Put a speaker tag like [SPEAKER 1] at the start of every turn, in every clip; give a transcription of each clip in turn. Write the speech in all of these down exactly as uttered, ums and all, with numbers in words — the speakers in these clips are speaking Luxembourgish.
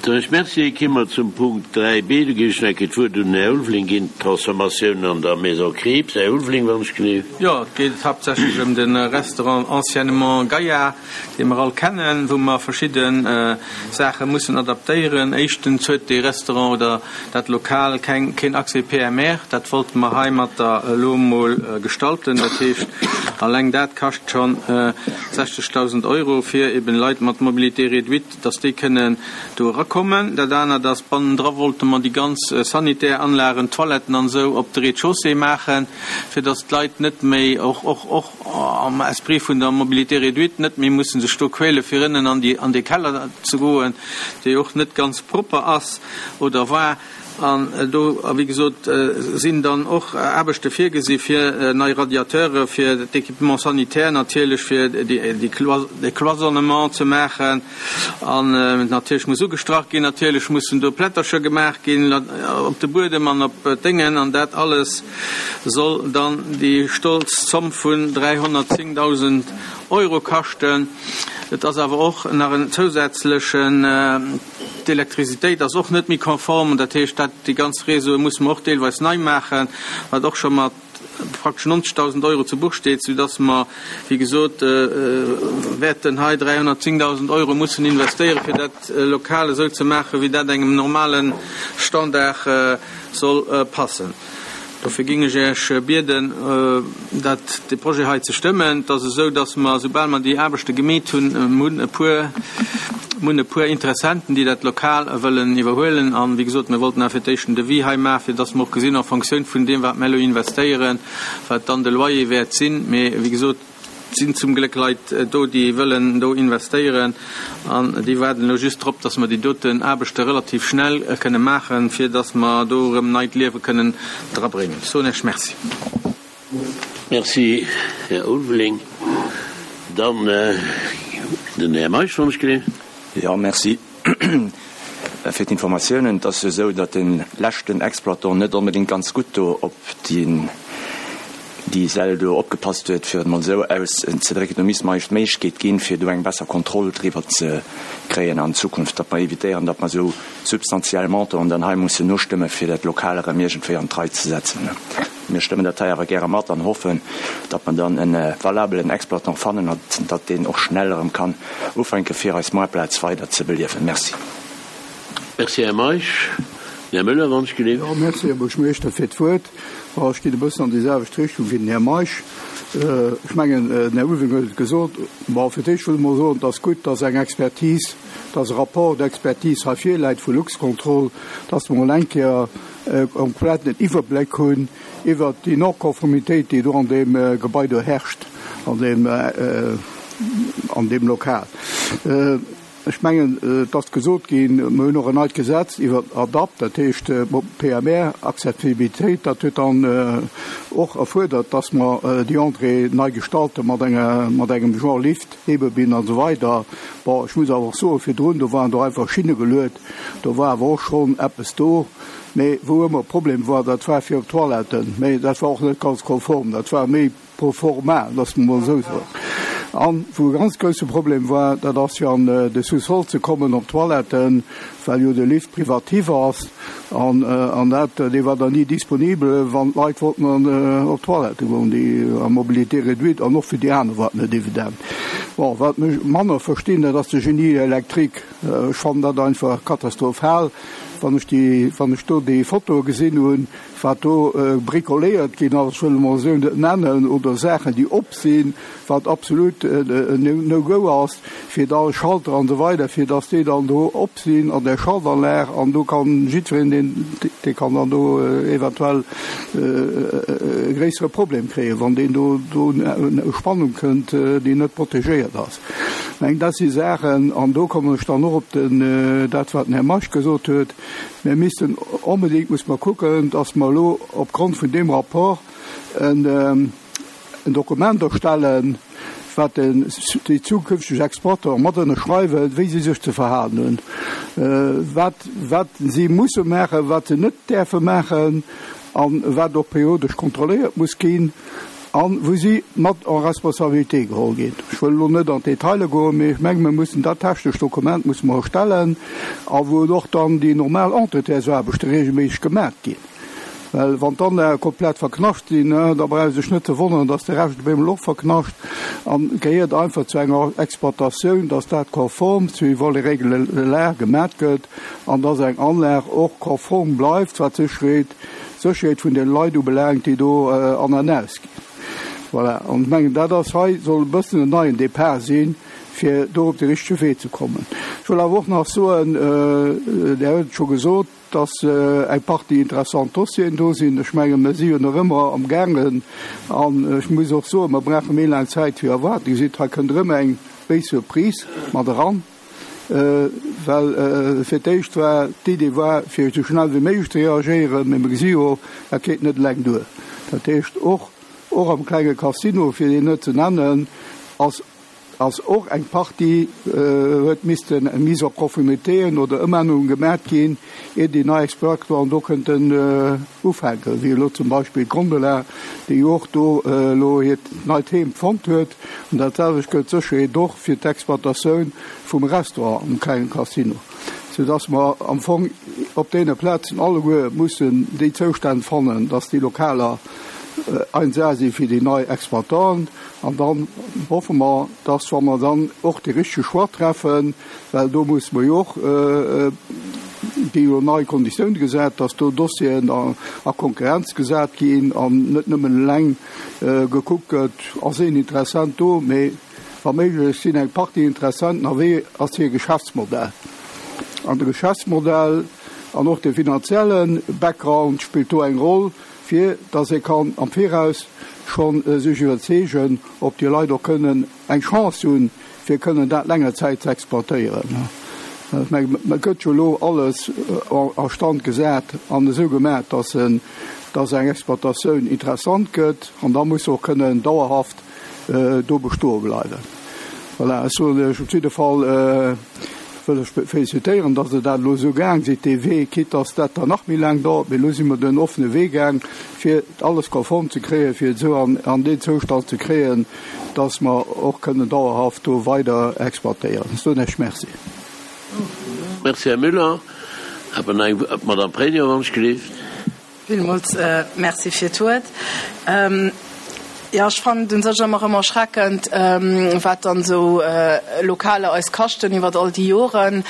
[SPEAKER 1] Soen ech Merci. Komme mer zum Punkt dräi b. Do ginn ech nach eng Kéier d'Wuert un den Här Ulveling ginn, d'Transformatioun an der Maison Krieps. Här Ulveling, wann ech genee.
[SPEAKER 2] Jo, et geet haaptsächlech ëm de Restaurant anciennement Gaillard, dee mer all kennen, wou mer verschidde Saache mussen adaptéieren. Éischtens huet dee Restaurant oder dat Lokal keng, keen Accès P M R. Dat wollte mer heimatter elo emol gestalten. Dat heescht, alleng dat kascht schonn sechzegdausend Euro, fir eben Leit mat Mobilité réduite, dass déi kënnen do erakommen. Dat anert ass, bannendra wollte mer déi ganz sanitär Anlagen, Toiletten an esou, op de Rez-de-chaussée maachen, fir dass d'Leit net méi, och, och, och am Esprit vun der Mobilité réduite, net méi mussen sech do quäle fir ënnen an déi, an dee Keller ze goen, dee och net ganz propper ass oder war. An do, wéi gesot, sinn dann och Aarbechte virgesi fir nei Radiateure fir d'Équipement sanitaire natierlech, fir de Cloisonnement ze maachen. An natierlech muss ugestrach ginn, natierlech mussen do Plättercher gemaach ginn op de Buedem an op d'Déngen. An dat alles soll dann déi stolz Zomm vun dräihonnertzéngdausend Euro kaschten. Et ass awer och nach en zousätzlechen, d'Elektrizitéit ass och net méi konform, dat heescht, dat déi ganz Réseaue musse mer och deelweis nei maachen, wat och scho mat praktesch neunzigtausend Euro zu Buch steet, soudass mer, wéi gesot, wäerten hei dräihonnertzéngdausend Euro mussen investéieren, fir dat Lokal esou ze maachen, wéi dat engem normale Standard soll passen. Dofir géing ech Iech bieden, dat, de Projet hei ze stëmmen. Et ass esou, dass mer, soubal mer déi Aarbechte gemeet hunn, hunn e puer, hunn e puer Interessenten, déi dat Lokal wëllen iwwerhuelen. An, wéi gesot, mir wollten awer fir d'éischt en Devis hei maachen, fir dass mer och gesinn, en Fonctioun vun deem, wat mer elo investéieren, wat dann de Loyer wäert sinn. Mee, wéi gesot, et sinn zum Gléck Leit do, déi wëllen do investéieren, an déi waarden elo just drop, dass mer déi doten Aarbechte relativ schnell kënne maachen, fir dass mer do erëm neit Liewe kënnen drabréngen. Ech soen Iech Merci.
[SPEAKER 1] Merci, Här Ulveling. Dann den Här Meisch, wann ech genee.
[SPEAKER 3] Jo, merci fir d'Informatiounen. Et ass jo esou, datt de leschten Exploitant net onbedéngt ganz gutt do op déi déi Säll do opgepasst huet, fir et mol esou auszedrécken. Do misste mer eis d'Méiglechkeet ginn, fir do eng besser Kontroll driwwer ze kréien an Zukunft, datt mer evitéieren, datt mer esou substantiell Montanten dann hei mussen nostëmmen, fir dat Lokal erëm iergendwéi an d'Rei ze setzen. Mir stëmmen dat hei awer gäre mat an hoffen, datt mer dann e valabelen Exploitant fannen an datt deen och schnell erëm kann ufänken, fir eis Moartplaz weider ze beliewen. Merci.
[SPEAKER 1] Merci, Här Meisch. Här Müller, wann ech geleeft.
[SPEAKER 4] Jo, merci, Här Buergermeeschter, fir d'Wuert. Ech ginn e bëssen an déi selwecht Richtung wéi den Här Meisch. Ech mengen, den Här Ulveling huet et gesot. Bon, fir d'éischt wëll ech mol soen, et ass gutt, dass eng Expertise, dass e Rapport d'expertise hei virläit vu Luxcontrol, dass mer mol eng Kéier e kompletten Iwwerbléck hunn iwwert déi Non-Conformitéit, déi do an deem Gebai do herrscht, an deem, an deem Lokal. Ech mengen, et ass gesot ginn, mer hunn och en neit Gesetz iwwer ADAPT, dat heescht P M R, Accessibilitéit. Dat huet dann och erfuerdert, dass mer déi Entrée nei gestalte mat enger, mat engem Genre Lift, Hebebühn an esou weider. Bon, ech muss awer och soen, virdrun, do waren do einfach Schinne geluet, do war awer och schonn eppes do. Mee wou ëmmer e Problem war, dat war fir op d'Toiletten. Mee dat war och net ganz konform, dat war méi pro forma, loosse mer mol esou soen. An wou e ganz grousse Problem war, dat ass fir an de Sous-sol ze kommen op d'Toiletten, well jo de Lift privatif ass. An, an dat, dee war dann ni disponibel, wann d'Leit wollten an, op d'Toilette goen, déi à mobilité réduite, an och fir déi aner war et net evident. Bon, wat mech manner verstinn, dat ass de Génie électrique. Ech fannen dat einfach katastrophal, wann ech déi, wann ech do déi Fotoe gesinn hunn, wat do bricoléiert ginn ass, ech wëll emol esou net nennen, oder Saachen, déi op sinn, wat absolut en No-Go ass, fir da Schalter an esou weider, fir datt déi dann do op sinn an der Schaltanlag, an do kann jiddwereen, deen, dee kann dann do eventuell e gréissere Problem kréien, wann deen do do u Spannung kënnt, déi net protegéiert ass. Ech mengen, dat si Saachen, an do kommen ech dann och op den, dat, wat den Här Meisch gesot huet, mir missten onbedéngt, muss mer kucken, datt mer elo opgrond vun deem Rapport en, en Dokument erstellen, wat den, déi zukünfteg Exploiteur mat ënnerschreiwen, wéi si sech ze verhalen hunn, wat, wat si musse maachen, wat se net däerfe maachen an wat och periodesch kontrolléiert muss ginn. An wou si mat en responsabilité geholl ginn. Ech wëll elo net an d'Detailer goen, mee ech menge mir mussen dat technescht Dokument musse mer erstellen a wou och dann déi normal Entretiensaarbechte regelméisseg gemat ginn. Well wann d'Anlage komplett verknascht sinn, da brauch ee sech net ze wonneren, dass de Rescht op eemol och verknascht. An et gehéiert einfach zu enger Exploitatioun, dass dat konform suivant les règles de l'art gemat gëtt an dass eng Anlag och konform bleift, wat d'Sécherheet, d'Sécherheet vun den Leit ubelaangt, déi do an an aus ginn. Voilà. An ech mengen, dat ass hei, soll e bëssen en neien Départ sinn, fir do op de richtege Wee ze kommen. Ech wëll awer och nach soen, Dir hutt et scho gesot, dass eng Partie interessant Dossieren do sinn. Ech mengen, mir si jo nach ëmmer amgaangen, an ech muss och soen, mer brauche méi laang Zäit wéi erwaart. Dir gesitt, hei kënnt erëm eng béis Surprise mat eran, well fir d'éischt war d'Idee war, fir esou schnell wéi méiglech ze reagéieren, mä mir gesi jo, dat geet net eleng duer. Dat heescht, och och am klenge Casino, fir deen net ze nennen, ass ass och eng Partie huet missten Mise en conformitéen oder Ëmännerunge gemat ginn, ier déi nei Exploitanten do kënnten ufänken, wéi elo zum Beispill d'Gondola, déi jo och do elo hiert neit Heem fonnt huet. An dat selwecht gëllt sécherheet och fir d'Exploitatioun vum Restaurant am klengen Casino, soudass mer am Fong op deene Plazen alleguer mussen déi Zoustänn fannen, dass déi Lokaler eins A si fir déi nei Exploitanten. An dann hoffe mer, dass, wa mer dann och de richtege Choix treffen, well do musse mer jo och, gi jo nei Konditiounen gesat, dass do Dossieren a Konkurrenz gesat ginn an net nëmmen eleng gekuckt gëtt, ass een Interessent do, mee wa méiglech sinn eng Partie Interessenten a wéi ass hir Geschäftsmodell. An de Geschäftsmodell an och de finanzielle Background spillt do eng Roll, fir dass ee kann am Viraus scho sech iwwerzeegen, ob déi Leit och kënnen eng Chance hunn, fir kënnen dat länger Zäit ze exploitéieren. Ech mengen, et gëtt jo elo alles a Stand gesat an esou gemaach, dass en, dass eng Exploitatioun interessant gëtt an da muss se och kënnen dauerhaft do bestoe bleiwen. Voilà, ech soen lech op jidde Fall, wëll ech félicitéieren, dass Der dat elo esou gaang sidd, dee Wee, quitte dass dat dann nach méi laang dauert, mee elo si mer den offene Wee gaang, fir alles konform ze kréien, fir et esou an deen Zoustand ze kréien, dass mer och kënnen dauerhaft do weider exploitéieren. Ech soen Iech Merci.
[SPEAKER 1] Merci, Här Müller. Awer nach eng, d'Madame Pregno, wann ech gelift.
[SPEAKER 5] Villmools Merci fir d'Wuert. Jo, ech fannen et un sech ëmmer erëm erschreckend, wat dann esou Lokaler eis kaschten iwwert all déi Joren.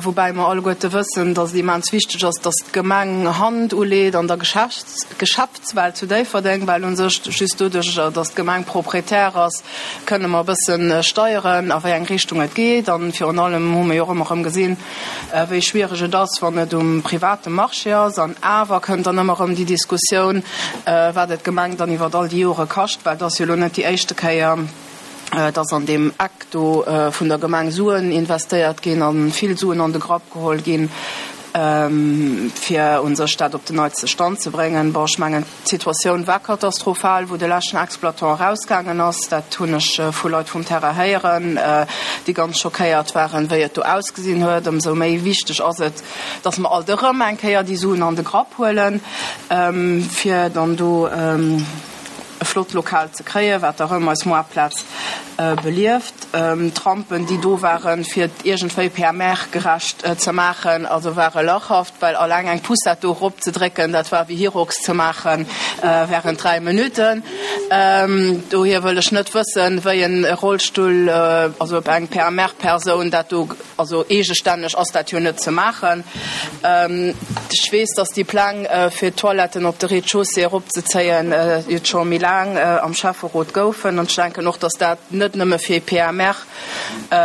[SPEAKER 5] Woubäi mer alleguerte wëssen, dass et immens wichteg ass, dass d'Gemeng Hand uleet an der Geschäftswelt zu Déifferdeng, well un sech just doduerch, dass d'Gemeng Proprietär ass, kënne mer e bësse steieren, a wéi eng Richtung et geet. A virun allem hu mer jo och ëmmer erëm gesinn, wéi schwiereg et ass, wann et um private Marché ass. An awer kënnt dann ëmmer erëm déi Diskussioun, wat et d'Gemeng dann iwwert all déi Jore kascht, well et ass jo elo net déi éischte Kéier, dass an deem Eck do vun der Gemeng Suen investéiert ginn a vill Suen an de Grapp geholl ginn, fir u sech dat op den neitste Stand ze bréngen. Bon, ech mengen, d'Situatioun war katastrophal, wou de leschten Exploitant erausgaangen ass. Dat hunn ech vu Leit vum Terrain héieren, déi ganz schockéiert waren, wéi et do ausgesinn huet. Ëmsou méi wichteg ass et, dass mer alt erëm eng Kéier déi Suen an de Grapp huelen, fir dann do e flott Lokal ze kréien, wat erëm eis Moartplaz belieft. D'Rampen, déi do waren, fir et iergendwéi P M R-gerecht ze maachen, also ware lachhaft, well alleng eng Poussette do eropzedrécken, dat war wéi Hyrox ze maache während dräi Minutten. Dohier wëll ech net wëssen, wéi en Rollstull, also op eng P M R-Persoun dat do, also eegestänneg ass dat jo net ze maachen. Ech weess, dass déi Pläng, fir d'Toiletten op de Rez-de-chaussée eropzezéien, et scho méi laang am Schäfferot goufen. An ech denken och, dass dat net nëmme fir P M R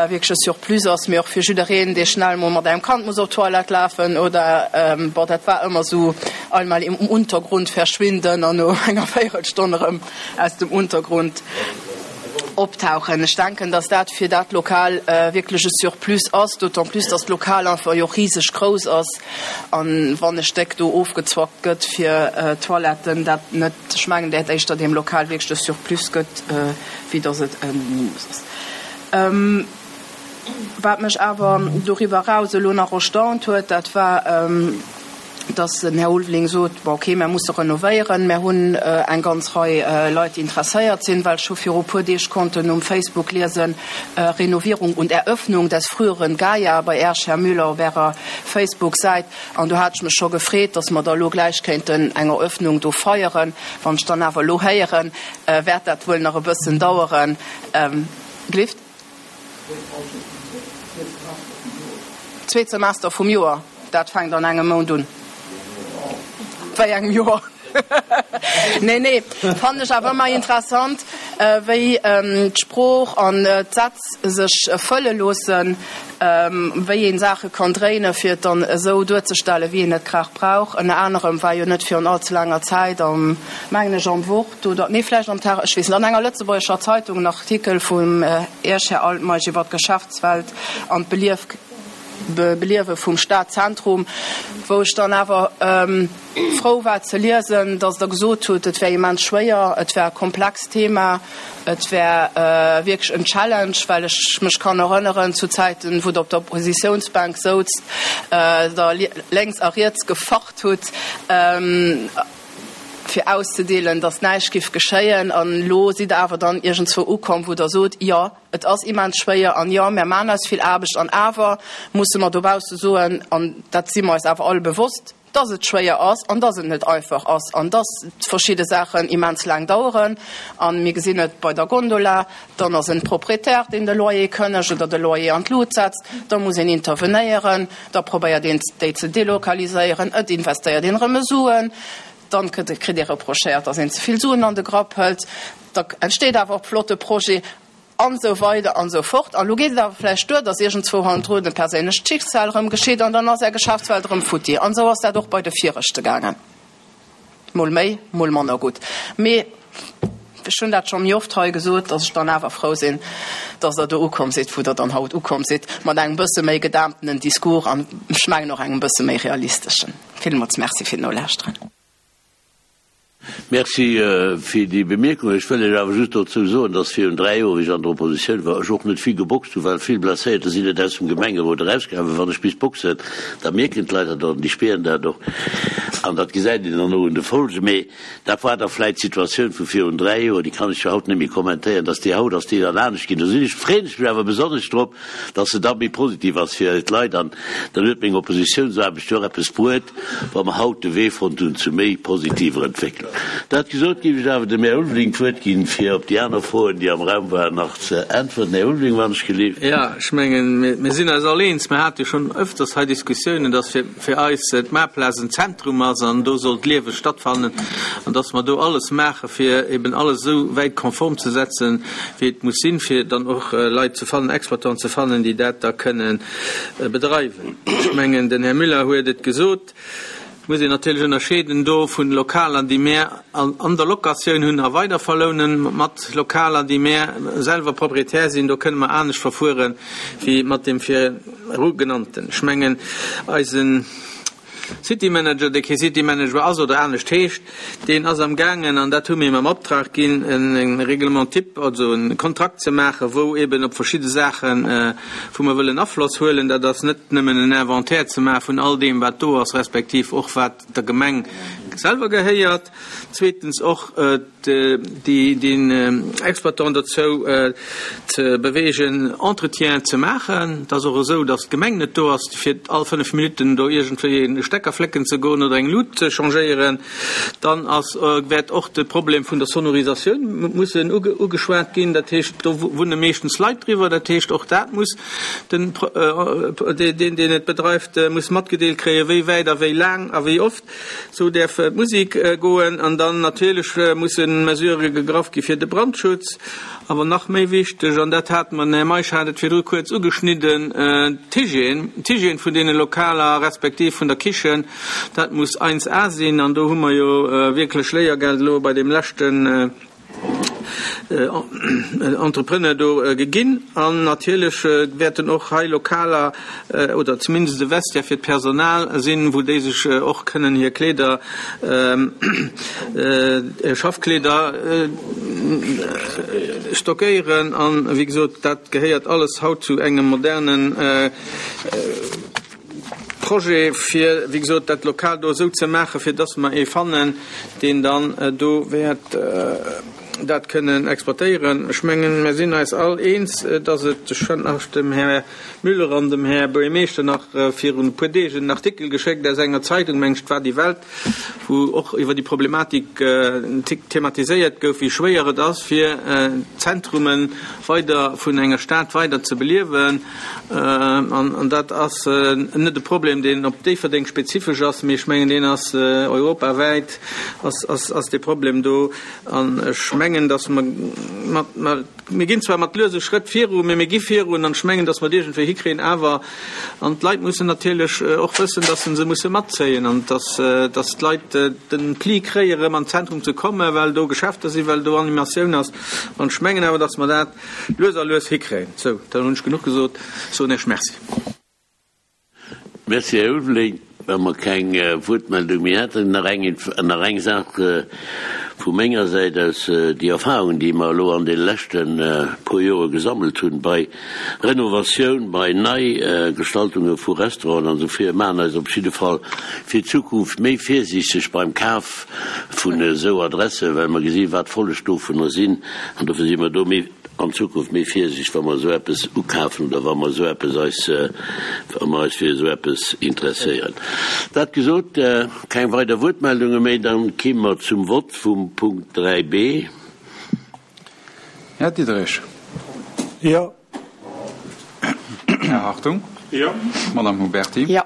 [SPEAKER 5] wierklech e Surplus ass, mee och fir jiddereen, dee schnell mol mat engem Kand muss op d'Toilette lafen oder, bon, dat war ëmmer esou, einmal im Untergrund verschwinden an no enger Véierelstonn erëm aus dem Untergrund optauchen. Ech denken, dass dat fir dat Lokal wierklech e Surplus ass, d'autant plus, dass d'Lokal einfach jo och riseg grouss ass an wann e Stéck do ofgezwackt gëtt fir Toiletten, dat net, ech mengen, dat éischter deem Lokal wierklech e Surplus gëtt, wéi dass et e Minus ass. Wat mech awer doriwwer eraus elo nach erstaunt huet, dat war, dass den Här Ulveling sot, bon okay, mär musse renovéieren, mär hunn eng ganz Rei Leit, déi interesséiert sinn, well ech hu viru puer Deeg konnten um Facebook liesen, Renovierung und Eröffnung des früheren Gaia bei Äech, Här Müller, op Ärer Facebook-Säit. An do hat ech mech scho gefreet, dass mer da elo gläich kéinten eng Eröffnung do feieren. Wann ech dann awer elo héieren, wäert dat wuel nach e bëssen daueren. Gelift? Zweet Semester vum Joer, dat fänkt an engem Mount un. Wéi engem Joer? Nee, nee, fannen ech awer ëmmer interessant, wéi d'Sprooch an d'Sätz sech fëlle loossen, wéi een Saache kann dréinen, fir et dann esou duerzestellen, wéi een et grad brauch. Ënner anerem war jo net virun all ze laanger Zäit am, mengen ech, am Wort oder, nee, vläicht am Tag, ech weess net, an enger lëtzebuergescher Zeitung en Artikel vum Iech, Här Altmeisch, iwwer d'Geschäftswelt an d'Beliewe vum Stadzentrum, wou ech dann awer frou war ze liesen, dass Der gesot hutt, et wär immens schwéier, et wär e komplext Thema, et wär wierklech en Challenge, well ech mech kann erënneren zu Zäiten, wou Der op der Oppositionsbänk souzt, Der lénks a riets gefacht hutt, fir auszedeelen, dass näischt giff geschéien. An elo sidd Der awer dann iergendzwou ukomm, wou Der sot, Jo, et ass immens schwéier an jo, mär maachen eis vill Aarbecht an awer musse mer dobausse soen, an dat si mer eis awer all bewosst, dass et schwéier ass an dass et net einfach ass an dass verschidde Saachen immens laang daueren. A mir gesinn et bei der Gondola, dann ass en Proprietär, deen de Loyer kënnegt oder de Loyer an d'Lut setzt, da muss een intervenéieren, da probéiert een, déi ze delokaliséieren, et investéiert een erëm Suen, dann kritt ee reprochéiert, dass een ze vill Suen an de Grapp hëlt, da entsteet awer och flotte Projet an esou weider an esou fort. An elo geet et awer vläicht duer, dass iergendzwou hannendrun e perséinlecht Schicksal erëm geschitt an dann ass Är Geschäftswelt erëm futti. An esou ass dat och bei de viregte gaangen, mol méi, mol manner gutt. Mee ech hunn dat scho méi oft hei gesot, dass ech dann awer frou sinn, dass Der do ukomm sidd, wou Der dann haut ukomm sidd, mat engem bësse méi gedämptenen Discours an ech mengen och engem bësse méi realisteschen. Villmools Merci fir d'Nolauschteren.
[SPEAKER 1] Merci fir déi Bemierkung. Ech wëll lech awer just dozou soen, dass virun dräi Joer, wéi ech an der Oppositioun war, ech och net vill geboxt hunn, well vill Blesséierter sinn net aus dem Gemengerot erausgaangen. Wann ech bis boxen, da mierken d'Leit dat och an déi spieren dat och an dat gesäit een dann och un de Folgen. Mee dat war da vläicht d'Situatioun vu virun dräi Joer, déi kann ech jo haut net méi kommentéieren, dass déi haut ass déi dann anescht ginn. Do sinn ech, freeën ech mech awer besonnesch drop, dass se da méi positiv ass fir d'Leit an dann huet meng Oppositiounsaarbecht jo och eppes bruet, wa mer haut de Wee fonnt hunn zu méi positiver Entwécklung. Dat gesot, géif ech awer dem Här Ulveling d'Wuert ginn, fir op déi aner Froen, déi am Raum waren, nach ze äntwerten. Här Ulveling, wann ech gelift.
[SPEAKER 2] Jo, ech mengen, mir sinn eis all eens. Mir hate jo schonn öfters hei Diskussiounen, dass fir, fir eis d'Maarplaz en Zentrum ass an do soll d'Liewe stattfannen an dass mer do alles maache fir eben alles esou wäit konform ze setzen, wéi et muss sinn, fir dann och Leit ze fannen, Exploitanten ze fannen, déi dat da kënnen bedreiwen. Ech mengen, den Här Müller huet et gesot, et muss een natierlech ënnerscheeden do vun Lokaler, déi mär an der Locatioun hunn a weiderverlounen, mat Lokaler, déi mär selwer Proprietär sinn. Do kënne mer anescht verfuere wéi mat deem viru genannten. Ech mengen, eisen City Manager, dee kee City Manager ass oder anescht heescht, deen ass am gaangen, an dat hu mir him am Optrag ginn, e Règlement type, also e Kontrakt ze maachen, wou eben op verschidde Saachen, wou mer wëllen Afloss huelen, dat ass net nëmmen en Inventaire ze maache vun all deem, wat do ass, respektiv och wat der Gemeng selwer gehéiert, zweetens och den Exploitant dozou ze beweegen, Entretien ze maachen. Et ass och esou, datt d'Gemeng net do ass, fir all fënnef Minutten do iergendwéi e Stecker flécken ze goen oder eng Lut ze changéieren. Dann ass, wäert och de Problem vun der Sonorisatioun mussen ugeschwat ginn. Dat heescht, do wunne meeschtens Leit driwwer. Dat heescht, och dat muss den, deen, deen et bedreift, muss matgedeelt kréien, wéi wäit a wéi laang a wéi oft. Sou däerf d'Musek goen. An dann natierlech musse Mesurë gegraff gi fir de Brandschutz. Awer nach méi wichteg, an dat hat mer, den Här Meisch hat et virdru kuerz ugeschnidden, d'Hygiène, d'Hygiène vun deene Lokaler respektiv vun der Kichen, dat muss eins A sinn. An do hu mer jo wierklech Léiergeld elo bei deem leschten Entrepreneur do geginn. An natierlech wäerten och hei Lokaler oder zumindest e Vestiaire fir d'Personal sinn, wou déi sech och kënnen hir Kleeder, hir Schaffkleeder stockéieren. An, wéi gesot, dat gehéiert alles haut zu engem modernen. Projet, fir, wéi gesot, dat Lokal do esou ze maachen, fir dass mer ee fannen, deen dann do wäert dat kënnen exploitéieren. Ech mengen, mir sinn eis all eens, dass et, ech hunn nach dem Här Müller an dem Här Buergermeeschter nach virun e puer Deeg en Artikel geschéckt aus enger Zeitung, mengen ech, et war Die Welt, wou och iwwer déi Problematik thematiséiert gouf, wéi schwéier et ass, fir Zentrume weider vun enger Stad weider ze beliewen. An dat ass net e Problem, deen op Déifferdeng spezifesch ass, mee ech mengen, deen ass europawäit ass dee Problem do. An ech mengen, dass mer mat, mir ginn zwar mat luese Schrëtt viru, mee mir gi virun. An ech mengen, dass mer et iergendwéi hikréien awer. An d'Leit mussen natierlech och wëssen, dass se se musse matzéien an dass, dass d'Leit den Pli kréien, erëm an d'Zentrum ze kommen, well do Geschäfter sinn, well do Animatioun ass. An ech mengen awer, dass mer dat lues a lues hikréien. Sou, dann hunn ech genuch gesot. Soen Iech Merci.
[SPEAKER 1] Merci, Här Ulveling. Wa mer keng Wuertmeldung méi hätten, nach eng, nach eng Saach vu menger Säit aus, Déi Erfahrungen, déi mer elo an deene leschte puer Jore gesammelt hunn bei Renovatioun, bei Neigestaltunge vu Restauranten an esou vir, maachen eis op jidde Fall fir d'Zukunft méi virsiichteg beim Kaf vun esou Adressen, well mer gesinn, wat d'Folleg dovunner sinn. An dofir si mer do méi an Zukunft méi virsiichteg, wa mer esou eppes ukafen oder wa mer esou eppes eis, wa mer eis fir esou eppes interesséieren. Dat gesot, keng weider Wuertmeldunge méi, dann kéime mer zum Vott vum Punkt dräi b.
[SPEAKER 6] Här Diderich.
[SPEAKER 4] Jo.
[SPEAKER 6] Här Hartung.
[SPEAKER 4] Jo.
[SPEAKER 6] Madame Huberti.
[SPEAKER 5] Jo.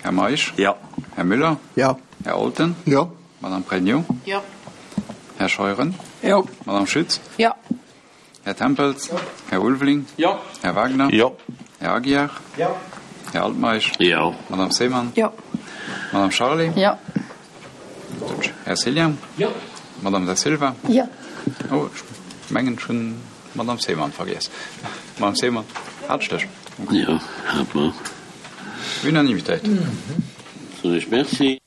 [SPEAKER 6] Här Meisch.
[SPEAKER 3] Jo.
[SPEAKER 6] Här Müller.
[SPEAKER 4] Jo.
[SPEAKER 6] Här Olten.
[SPEAKER 4] Jo.
[SPEAKER 6] Madame Pregno.
[SPEAKER 5] Jo.
[SPEAKER 6] Här Scheuren.
[SPEAKER 2] Jo.
[SPEAKER 6] Madame Schütz.
[SPEAKER 5] Jo.
[SPEAKER 6] Här Tempels. Jo. Här Ulveling.
[SPEAKER 2] Jo.
[SPEAKER 6] Här Wagner.
[SPEAKER 1] Jo.
[SPEAKER 6] Här Aguiar.
[SPEAKER 2] Jo.
[SPEAKER 6] Här Altmeisch.
[SPEAKER 1] Jo.
[SPEAKER 6] Madame Seemann.
[SPEAKER 5] Jo.
[SPEAKER 6] Madame Charlé.
[SPEAKER 5] Jo.
[SPEAKER 6] Här Cillien.
[SPEAKER 2] Jo.
[SPEAKER 6] Madame Da Silva.
[SPEAKER 5] Jo.
[SPEAKER 6] Oh, ech mengen, ech hunn d'Madame Seemann vergiess. Madame Seemann, hat ech dech?
[SPEAKER 1] Jo, hat mer.
[SPEAKER 6] Unanimitéit.
[SPEAKER 1] Soen ech Merci.